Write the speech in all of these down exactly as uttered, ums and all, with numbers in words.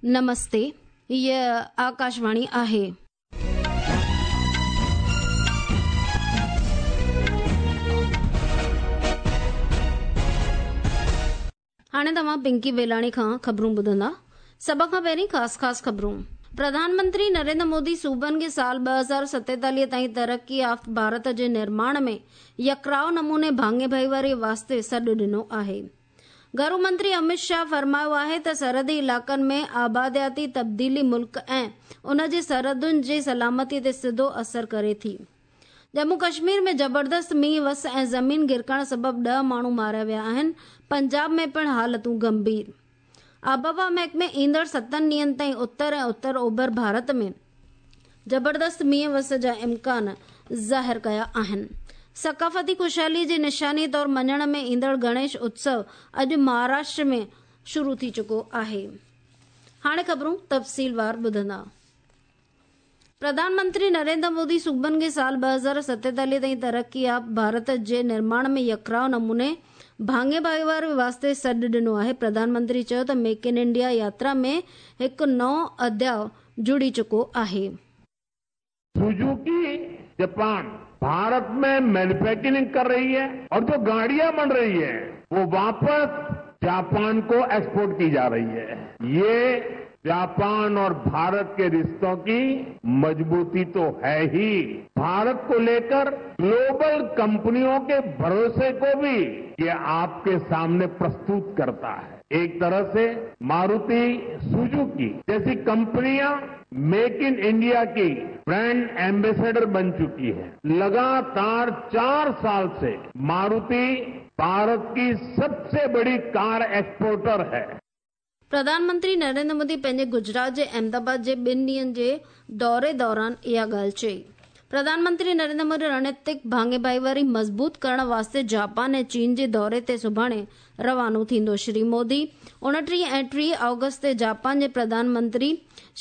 नमस्ते, हीअ आकाशवाणी आहे। हाणे तव्हां पिंकी वेलाणी खां ख़बरूं ॿुधंदा। सभ खां पहिरीं ख़ासि ख़ासि ख़बरूं। प्रधानमंत्री नरेंद्र मोदी सूबनि खे साल ॿ हज़ार सतेतालीह ताईं तरक़ी याफ़्त भारत जे निर्माण में यकराव नमूने भाङे भाईवारी वास्ते सॾु ॾिनो आहे। घरू मंत्री अमित शाह फरमायो आहे त सरहदी इलाइक़नि में आबादियाती तब्दीली मुल्क ऐं उन जे सरहदुनि जी सलामती ते सिधो असर करे थी। जम्मू कश्मीर में ज़बरदस्त मींहुं वस ऐं ज़मीन गिरकण सबबि ॾह माण्हू मारिया विया आहिनि। पंजाब में पिणु हालतूं गंभीर। आबहवा महकमे ईंदड़ सतनि ॾींहंनि ताईं उत्तर ऐं उत्तर ओभर भारत में ज़बरदस्त मींहुं वस जा इम्कान ज़ाहिर कया आहिनि। सकाफ़ती ख़ुशहाली जी निशानी तौर मञण में ईंदड़ गणेश उत्सव अॼु महाराष्ट्र में शुरू थी चुको आहे। हाणे ख़बरूं तफ़सीलवार ॿुधंदा। प्रधानमंत्री नरेंद्र मोदी सूबनि खे साल ॿ हज़ार सतेतालीह ताईं तरक़ी याफ़्त भारत जे निर्माण में यकराव नमूने भाङे भाईवारी वास्ते सॾु ॾिनो आहे। प्रधानमंत्री चयो त मेक इन इंडिया यात्रा में हिकु नओं अध्याय जुड़ी चुको आहे। सुजुकी जापान भारत में मैन्युफैक्चरिंग कर रही है और जो गाड़ियां बन रही है वो वापस जापान को एक्सपोर्ट की जा रही है। ये जापान और भारत के रिश्तों की मजबूती तो है ही, भारत को लेकर ग्लोबल कंपनियों के भरोसे को भी ये आपके सामने प्रस्तुत करता है। एक तरह से मारुति सुजुकी जैसी कंपनियां मेक इन इंडिया की ब्रांड एम्बेसडर बन चुकी है। लगातार चार साल से मारुति भारत की सबसे बड़ी कार एक्सपोर्टर है। प्रधानमंत्री नरेंद्र मोदी पंहिंजे गुजरात जे अहमदाबाद जे ॿिनि ॾींहंनि जे दौरे दौरान इहा ॻाल्हि चई। प्रधानमंत्री नरेंद्र मोदी रणनीतिक भाङे भाईवारी मज़बूत करण वास्ते जापान ऐं चीन जे दौरे ते सुभाणे रवानो थींदो। श्री मोदी उणिटीह ऐं टीह ऑगस्ट ते जापान जे प्रधानमंत्री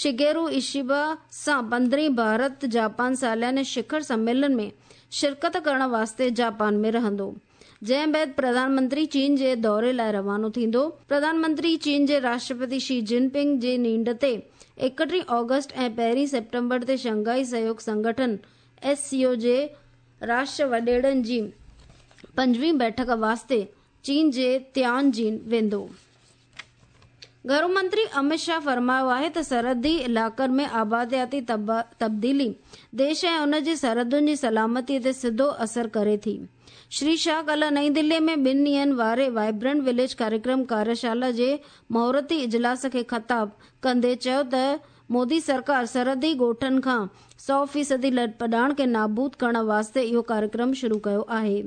शिगेरू इशिबा सां पंद्रहीं भारत जापान सालाने शिखर सम्मेलन में शिरकत करण वास्ते जापान में रहंदो, जंहिं बाद प्रधानमंत्री चीन जे दौरे लाइ रवानो थींदो। प्रधानमंत्री चीन जे राष्ट्रपति शी जिनपिंग जे नींड ते एकटीह ऑगस्ट ऐं पहिरीं सेप्टेम्बर ते शंघाई सहयोग संगठन एस सी ओ जे राष्ट्र वॾेरनि जी पंजवीं बैठक वास्ते चीन जे तियानजिन वेंदो। घरू मंत्री अमित शाह फरमायो आहे त सरहदी इलाइक़नि में आबादियाती तब्दीली देश ऐं उन जी सरहदुनि जी सलामती ते सिधो असर करे थी। श्री शाह कल नई दिल्ली में ॿिनि ॾींहंनि वारे वाइब्रेंट विलेज कार्यक्रम कार्यशाला जे मुहूर्ती इजलास खे ख़िताब कंदे चयो त मोदी सरकार सरहदी ॻोठनि खां सौ फ़ीसदी लॾपॾाण खे नाबूद करण वास्ते इहो कार्यक्रम शुरू कयो आहे।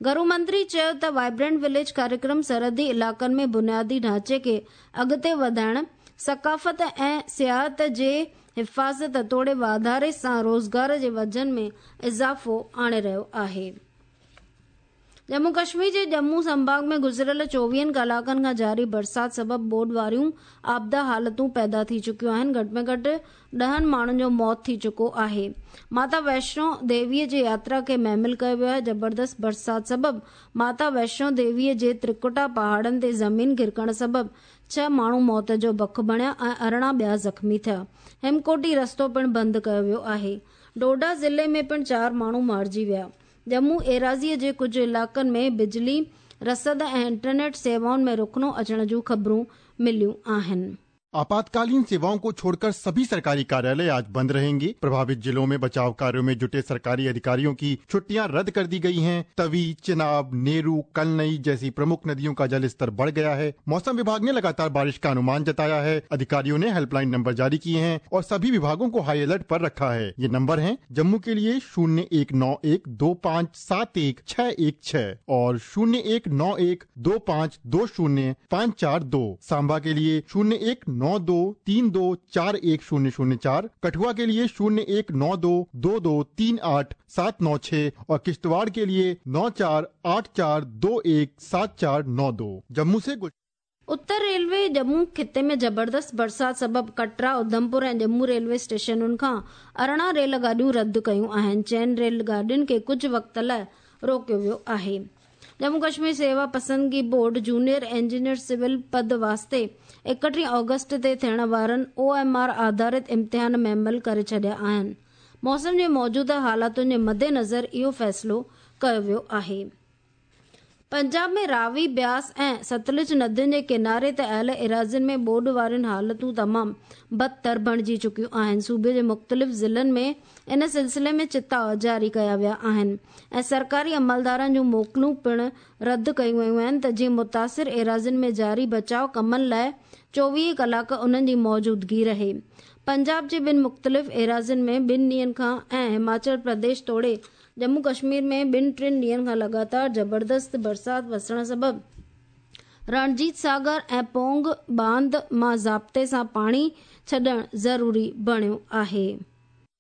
घरू मंत्री चयो त वाइब्रेंट विलेज कार्यक्रम सरहदी इलाइक़नि में बुनियादी ढांचे खे अॻिते वधाइण, सकाफ़त ऐं सियाहत जे हिफ़ाज़त तोड़े वाधारे सां रोज़गार जे वजन में इज़ाफ़ो आणे रहियो आहे। जम्मू कश्मीर जे जम्मू संभाग में गुज़िरियल चोवीहनि कलाकनि खां जारी बरसात सबबि ॿोॾ वारियूं आपदा हालतूं पैदा थी चुकियूं आहिनि। घटि में घटि ॾहनि माण्हुनि जो मौत थी चुको आहे। माता वैष्णो देवीअ जे यात्रा खे महमिल कयो वियो आहे। ज़बरदस्त बरसात सबबि माता वैष्णो देवीअ जे त्रिकुटा पहाड़नि ते ज़मीन गिरकण सबबि छह माण्हू मौत जो बख बणिया ऐं अरिड़हं ॿिया ज़ख़्मी थिया। हेमकोटी रस्तो पिणु बंदि कयो वियो आहे। डोडा ज़िले में पिणु चारि माण्हू मारिजी विया। जम्मू एराज़ीअ जे कुझु इलाइक़नि में बिजली, रसद ऐं इंटरनेट सेवाउनि में रुखनो अचण जूं ख़बरूं मिलियूं आहिनि। आपातकालीन सेवाओं को छोड़कर सभी सरकारी कार्यालय आज बंद रहेंगे। प्रभावित जिलों में बचाव कार्यों में जुटे सरकारी अधिकारियों की छुट्टियां रद्द कर दी गई हैं। तवी, चिनाब, नेरू, कलनई जैसी प्रमुख नदियों का जल स्तर बढ़ गया है। मौसम विभाग ने लगातार बारिश का अनुमान जताया है। अधिकारियों ने हेल्पलाइन नंबर जारी किए हैं और सभी विभागों को हाई अलर्ट पर रखा है। ये नंबर है जम्मू के लिए शून्य एक नौ एक दो पाँच सात एक छह एक छह और शून्य एक नौ एक दो पाँच दो शून्य पाँच चार दो, सांबा के लिए शून्य एक नौ दो तीन दो चार एक शून्य शून्य चार, कठुआ के लिए शून्य एक नौ दो दो दो तीन आठ सात नौ छह और किश्तवाड़ के लिए नौ चार आठ चार दो एक सात चार नौ दो। जम्मू से उत्तर रेलवे जम्मू खिते में ज़बरदस्त बरसात सबबि कटरा, उधमपुर ऐं जम्मू रेलवे स्टेशनुनि खां अरिड़हं रेल गाॾियूं रद्द कयूं आहिनि। चइनि रेल गाॾियुनि खे कुझु वक़्त लाइ रोकियो वियो आहे। जम्मू कश्मीर सेवा पसंदगी बोर्ड जूनियर इंजीनियर सिविल पद वास्ते एकटीह ऑगस्ट ते थियण वारनि ओ एम आर आधारित इम्तिहान मुअमल करे छॾिया आहिनि। मौसम जे मौजूदा हालातुनि जे मद्देनज़र इहो फ़ैसिलो कयो वियो आहे। पंजाब में रावी, ब्यास ऐं सतलुज नदियुनि जे किनारे ते आयल इराज़ियुनि में ॿोॾ वारियुनि हालतूं तमामु बदतर बणिजी चुकियूं आहिनि। सूबे जे मुख़्तलिफ़ ज़िलनि में इन सिलसिले में चिताव जारी कया विया आहिनि ऐं सरकारी अमलदारनि जूं मोकिलूं पिणु रद्द कयूं वयूं आहिनि त जीअं मुतासिर इराज़ियुनि में जारी बचाव कमनि लाइ चोवीह कलाक उन्हनि जी मौजूदगी रहे। पंजाब जे ॿिनि मुख़्तलिफ़ इराज़ियुनि में ॿिनि ॾींहनि खां ऐं हिमाचल प्रदेश तोड़े जम्मू कश्मीर में ॿिनि टिनि ॾींहनि खां लगातार ज़बरदस्त बरसात वसण सबबि रणजीत सागर ऐं पोंग बांध मां ज़ाब्ते सां पाणी छॾणु ज़रूरी बणियो आहे।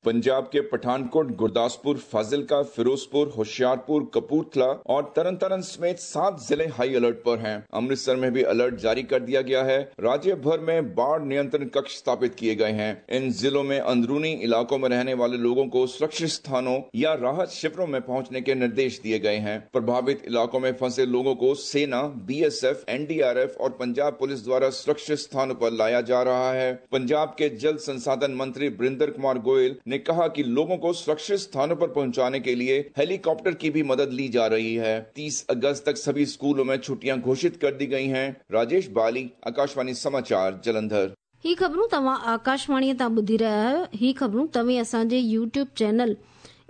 पंजाब के पठानकोट, गुरदासपुर, फाजिलका, फिरोजपुर, होशियारपुर, कपूरथला और तरनतारन समेत सात जिले हाई अलर्ट पर हैं। अमृतसर में भी अलर्ट जारी कर दिया गया है। राज्य भर में बाढ़ नियंत्रण कक्ष स्थापित किए गए हैं। इन जिलों में अंदरूनी इलाकों में रहने वाले लोगों को सुरक्षित स्थानों या राहत शिविरों में पहुंचने के निर्देश दिए गए हैं। प्रभावित इलाकों में फंसे लोगों को सेना, B S F, N D R F और पंजाब पुलिस द्वारा सुरक्षित स्थानों पर लाया जा रहा है। पंजाब के जल संसाधन मंत्री वरिंदर कुमार गोयल ने कहा कि लोगों को सुरक्षित स्थानों पर पहुंचाने के लिए हेलीकॉप्टर की भी मदद ली जा रही है। तीस अगस्त तक सभी स्कूलों में छुट्टियां घोषित कर दी गई हैं। राजेश बाली, आकाशवाणी समाचार, जलंधर। ही ख़बरूं तव्हां आकाशवाणी तां ॿुधी रहिया आहियो। ही ख़बरूं तव्हीं असांजे YouTube channel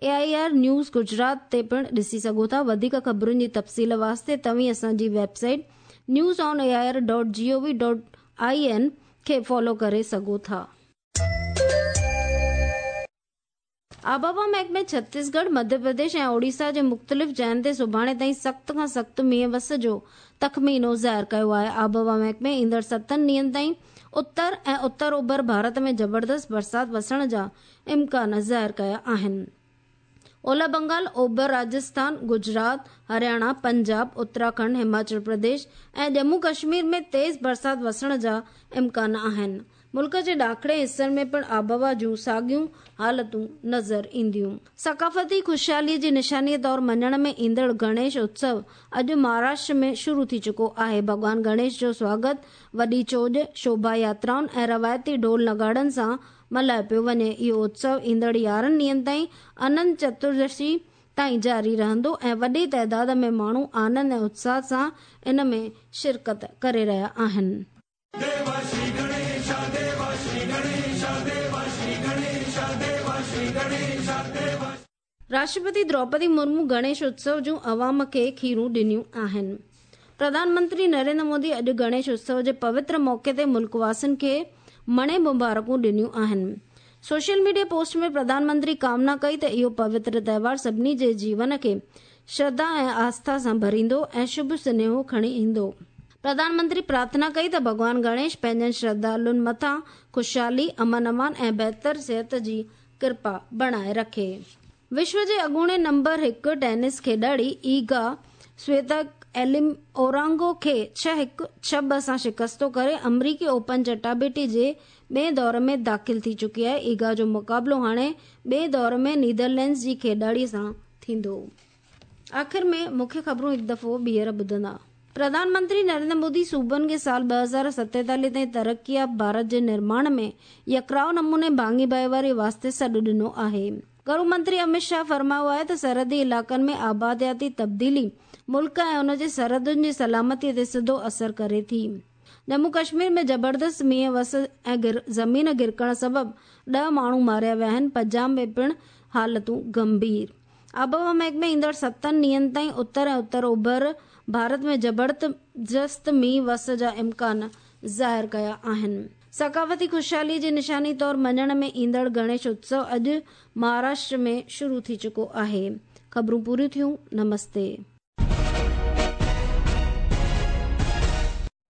A I R news Gujarat ते पिणु ॾिसी सघो था। वधीक ख़बरुनि जी तफ़सील वास्ते तव्हीं असांजी website news on A I R dot G O V dot I N खे फॉलो करे सघो था। आबहवा महकमे छत्तीसगढ़, मध्य प्रदेश ऐं ओडिशा जे मुख़्तलिफ़ जायुनि ते सुभाणे ताईं सख़्त खां सख़्तु मींहुं वस जो तख़मीनो ज़ाहिर कयो आहे। आबहवा महकमे ईंदड़ सतनि ॾींहनि ताईं उत्तर ऐं उत्तर ओभर भारत में ज़बरदस्त बरसात वसण जा इम्कान ज़ाहिर कया आहिनि। ओला बंगाल, ओभर राजस्थान, गुजरात, हरियाणा, पंजाब, उत्तराखंड, हिमाचल प्रदेश ऐं जम्मू कश्मीर में तेज़ बरसात वसण जा इम्कान आहिनि। मुल्क जे ॾाखणे हिसनि में पिणु आबहवा जूं साॻियूं हालतूं नज़र ईंदियूं। सकाफ़ती ख़ुशहालीअ जी निशानीअ तौर मञण में ईंदड़ गणेश उत्सव अॼु महाराष्ट्र में शुरू थी चुको आहे। भॻवान गणेश जो स्वागत वॾी चोॼ, शोभा यात्राउनि ऐं रवायती ढोल नगाड़नि सां मल्हायो पियो वञे। इहो उत्सव ईंदड़ यारहं ॾींहनि ताईं अनंत चतुर्दशी ताईं जारी रहंदो ऐं वॾी तादाद में माण्हू आनंद ऐं उत्साह सां इन में शिरकत करे रहिया आहिनि। राष्ट्रपति द्रौपदी मुर्मू गणेश उत्सव जूं अवाम खे खीरूं ॾिनियूं आहिनि। प्रधानमंत्री नरेंद्र मोदी अॼु गणेश उत्सव जे पवित्र मौक़े ते मुल्कवासियुनि खे मणे मुबारकूं ॾिनियूं आहिनि। सोशल मीडिया पोस्ट में प्रधानमंत्री कामना कई त इहो पवित्र त्योहार सभिनी जे जीवन खे श्रद्धा ऐं आस्था सां भरींदो ऐं शुभ सुनेहो खणी ईंदो। प्रधानमंत्री प्रार्थना कई त भॻवान गणेश पंहिंजनि श्रद्धालुनि मथां ख़ुशहाली, अमन अमान ऐं बहितर सिहत जी कृपा बणाए रखे। विश्व जे अॻूणे नंबर हिकु टेनिस खेॾाड़ी ईगा स्वेतक एलिम ओरांगो खे छह हिकु छह ॿ सां शिकस्तो करे अमरीकी ओपन चटाबेटी जे ॿिए दौर में दाख़िल थी चुकी आहे। ईगा जो मुक़ाबिलो हाणे ॿिए दौर में नीदरलैंड्स जी खेॾाड़ीअ सां थींदो। आख़िर में मुख्य ख़बरूं हिकु दफ़ो ॿीहर ॿुधंदा। प्रधानमंत्री नरेंद्र मोदी सूबनि खे साल ॿ हज़ार सतेतालीह ताईं तरक़ी भारत जे निर्माण में यकराव नमूने भाङी भाईवारी वास्ते सॾु ॾिनो आहे। गृह मंत्री अमित शाह फरमायो आहे त सरहदी इलाइक़नि में आबादियाती तब्दीली मुल्क ऐं उन जे सरहदुनि जी सलामतीअ ते सिधो असर करे थी। जम्मू कश्मीर में ज़बरदस्त मींहुं वस ऐं ज़मीन गिरकण सबबि ॾह माण्हू मारिया विया आहिनि। पंजाब में पिणु हालतूं गंभीर। आबहवा महकमे ईंदड़ सतनि ॾींहनि ताईं उत्तर ऐं उत्तर ओभर भारत में ज़बरदस्त मींहुं वस जा इम्कान ज़ाहिर कया आहिनि। सकाफ़ती ख़ुशहालीअ जी निशानी तौर मञण में ईंदड़ गणेश उत्सव अॼु महाराष्ट्र में शुरू थी चुको आहे। ख़बरूं पूरियूं थियूं। नमस्ते।